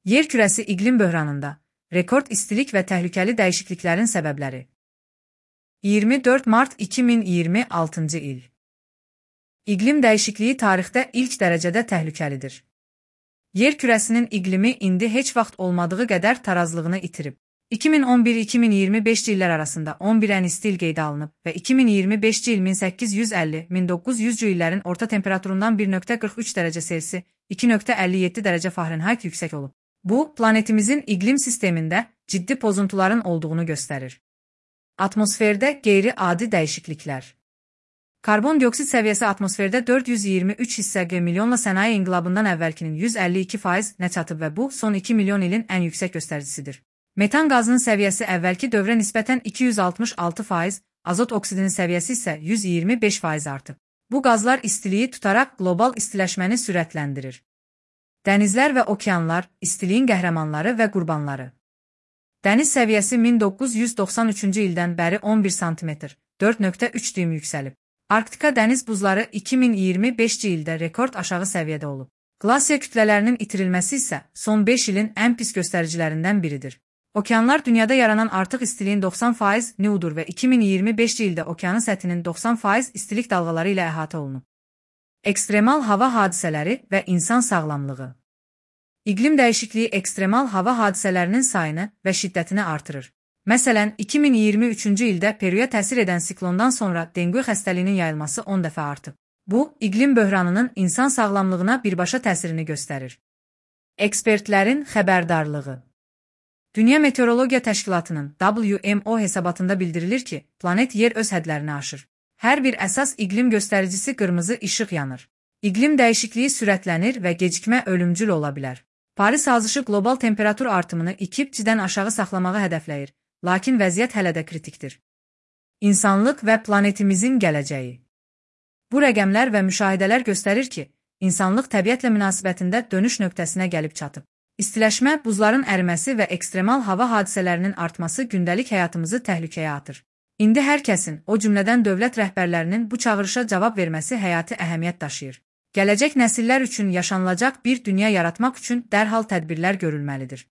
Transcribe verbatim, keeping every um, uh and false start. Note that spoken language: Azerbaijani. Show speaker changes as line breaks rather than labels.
Yer kürəsi iqlim böhranında, rekord istilik və təhlükəli dəyişikliklərin səbəbləri. iyirmi dörd mart iki min iyirmi altıncı il. İqlim dəyişikliyi tarixdə ilk dərəcədə təhlükəlidir. Yer kürəsinin iqlimi indi heç vaxt olmadığı qədər tarazlığını itirib. iki min on bir - iki min iyirmi beşinci illər arasında on bir ən isti il qeydə alınıb və iki min iyirmi beşinci il min səkkiz yüz əlli - min doqquz yüzcü illərin orta temperaturundan bir nöqtə qırx üç dərəcə Selsi, iki nöqtə əlli yeddi dərəcə Fahrenheit yüksək olub. Bu, planetimizin iqlim sistemində ciddi pozuntuların olduğunu göstərir. Atmosferdə qeyri-adi dəyişikliklər. Karbon dioksid səviyyəsi atmosferdə dörd yüz iyirmi üç hissə G milyonla sənaye inqilabından əvvəlkinin yüz əlli iki faiz nə çatıb və bu, son iki milyon ilin ən yüksək göstəricisidir. Metan qazının səviyyəsi əvvəlki dövrə nisbətən iki yüz altmış altı faiz, azot oksidinin səviyyəsi isə yüz iyirmi beş faiz artıb. Bu qazlar istiliyi tutaraq qlobal istiləşməni sürətləndirir. Dənizlər və okeanlar, istiliyin qəhrəmanları və qurbanları. Dəniz səviyyəsi min doqquz yüz doxsan üçüncü ildən bəri on bir santimetr, dörd nöqtə üç düym yüksəlib. Arktika dəniz buzları iki min iyirmi beşinci ildə rekord aşağı səviyyədə olub. Qlasiya kütlələrinin itirilməsi isə son beş ilin ən pis göstəricilərindən biridir. Okeanlar dünyada yaranan artıq istiliyin doxsan faiz ni-udur və iki min iyirmi beşinci ildə okeanın səthinin doxsan faiz istilik dalğaları ilə əhatə olunub. Ekstremal hava hadisələri və insan sağlamlığı. İqlim dəyişikliyi ekstremal hava hadisələrinin sayını və şiddətini artırır. Məsələn, iki min iyirmi üçüncü ildə Peruya təsir edən siklondan sonra dengue xəstəliyinin yayılması on dəfə artıb. Bu, iqlim böhranının insan sağlamlığına birbaşa təsirini göstərir. Ekspertlərin xəbərdarlığı. Dünya Meteorologiya Təşkilatının W M O hesabatında bildirilir ki, planet yer öz hədlərini aşır. Hər bir əsas iqlim göstəricisi qırmızı işıq yanır. İqlim dəyişikliyi sürətlənir və gecikmə ölümcül ola bilər. Paris sazişi qlobal temperatur artımını iki dərəcədən aşağı saxlamağı hədəfləyir, lakin vəziyyət hələ də kritikdir. İnsanlıq və planetimizin gələcəyi. Bu rəqəmlər və müşahidələr göstərir ki, insanlıq təbiətlə münasibətində dönüş nöqtəsinə gəlib çatıb. İstiləşmə, buzların əriməsi və ekstremal hava hadisələrinin artması gündəlik həyatımızı təhlükəyə atır. İndi hər kəsin, o cümlədən dövlət rəhbərlərinin bu çağırışa cavab verməsi həyati əhəmiyyət daşıyır. Gələcək nəsillər üçün yaşanılacaq bir dünya yaratmaq üçün dərhal tədbirlər görülməlidir.